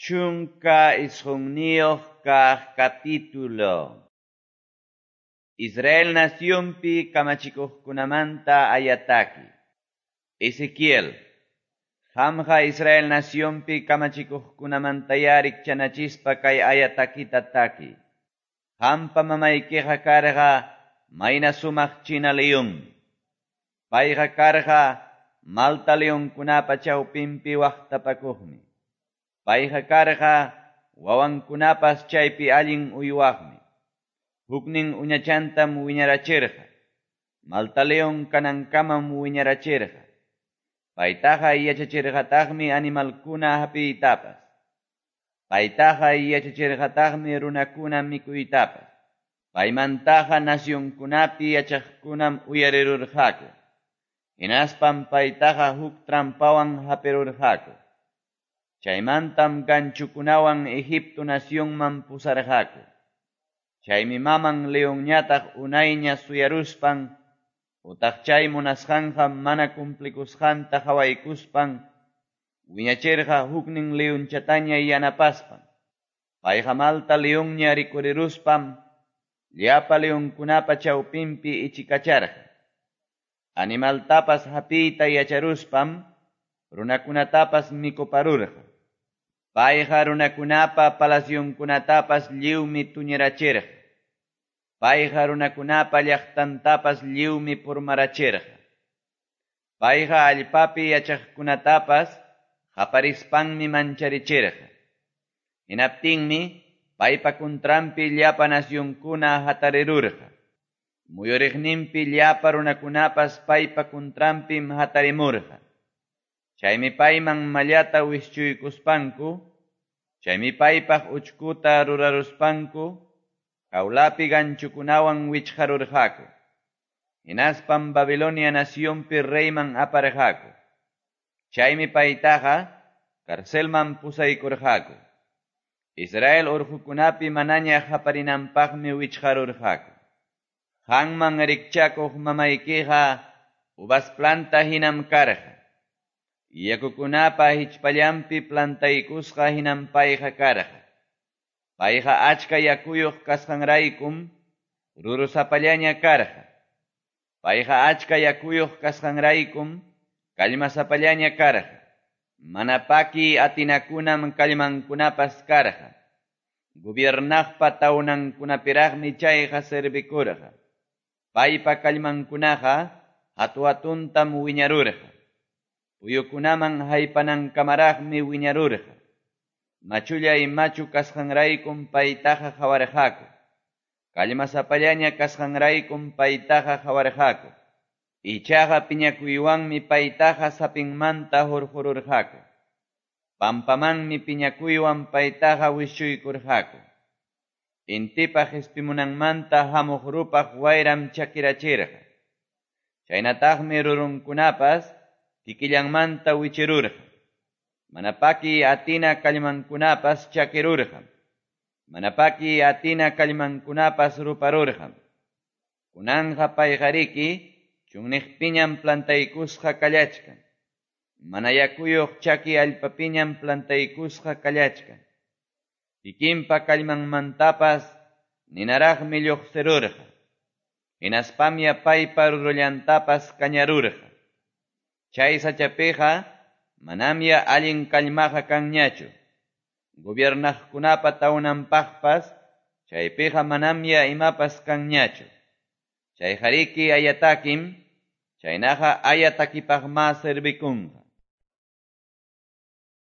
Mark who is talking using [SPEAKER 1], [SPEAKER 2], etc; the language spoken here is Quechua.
[SPEAKER 1] 19 kaq capítulo. Israel nacionpi kamachikuqkunamanta ayataki. Ezequiel, qamqa Israel nacionpi kamachikuqkunamantayá rikchanachispa kay ayatakita taki. Qampa mamaykiqa karqa mayna sumaq china leonmi. Payqa karqa malta leonkunapa chawpinpi waqtapakuqmi. Payqa karqa wawankunapas chaypi allin uywaqmi. Huknin uñachantam wiñarachirqa. Malta leon kanankamam wiñarachirqa. Paytaqa yachachirqataqmi animalkuna hapiytapas. Paytaqa yachachirqataqmi runakuna mikuytapas. Paymantaqa nacionkunapi yachaqkunam uyarirurqaku. Hinaspam paytaqa huk trampawan hapirurqaku. Chaymantam ganchukunawan Egipto nacionman pusarqaku. Chaymi maman leonñataq unayña suyaruspan, utaq chay munasqanqa mana cumplikusqanta qawaykuspan, wiñachirqa huknin leonchataña yanapaspan. Payqa malta leonña rikuriruspam, llapa leonkunapa chawpinpi ichikacharqa. Animaltapas hapiyta yacharuspam, runakunatapas mikuparurqa. Payqa runakunapa palacionkunatapas lliwmi tuñirachirqa. Payqa runakunapa llaqtantapas lliwmi purmarachirqa. Payqa allpapi yachaqkunatapas qaparispanmi mancharichirqa. Hinaptinmi paypa contranpi llapa nacionkuna hatarirurqa. Muyuriqninpi llapa runakunapas paypa contranpim hatarimurqa. Chaymi payman mallata wischuykuspanku, chaymi paypaq uchkuta ruraruspanku, jaulapi ganchukunawan wichqarurqaku. Hinaspam Babilonia nacionpi reyman aparqaku. Chaymi paytaqa carcelman pusaykurqaku. Israel urqukunapi manaña qaparinanpaqmi wichqarurqaku. Qanman rikchakuq mamaykiqa uvas planta hinam karqa. Yakukunapa hichpallanpi plantaykusqa hinam payqa karqa. Payqa achka yakuyuq kasqanraykum rurusapallaña karqa. Payqa achka yakuyuq kasqanraykum kallmasapallaña karqa. Mana paki atinakunam kallmankunapas karqa. Gobiernaqpa tawnankunapiraqmi chayqa servikurqa. Paypa kallmankunaqa hatu-hatuntam wiñarurqa. Puyukunaman haypanankamaraqmi wiñarurqa. Machullay machu kasqanraykum paytaqa qawarqaku. Kallmasapallaña kasqanraykum paytaqa qawarqaku. Ichaqa piñakuywanmi paytaqa sapinmanta hurqururqaku. Pampamanmi piñakuywan paytaqa wischuykurqaku. Intipa qispimunanmanta hamuq rupaq wayram chakirachirqa. Chaynataqmi rurunkunapas kikillanmanta wichirurqa. Mana paki atina kallmankunapas chakirurqam. Mana paki atina kallmankunapas ruparurqam. Kunanqa payqariki chunniqpiñam plantaykusqa kallachkan. Mana yakuyuq chaki allpapiñam plantaykusqa kallachkan. Kikinpa kallmanmantapas ninaraqmi lluqsirurqa. Hinaspamya paypa rurullantapas kañarurqa. Chay sachapiqa manamya allin kallmaqa kanñachu. Gobiernaqkunapa tawnanpaqpas chaypiqa manamya imapas kanñachu. Chayqariki ayatakim, chaynaqa ayatakipaqma servikunqa.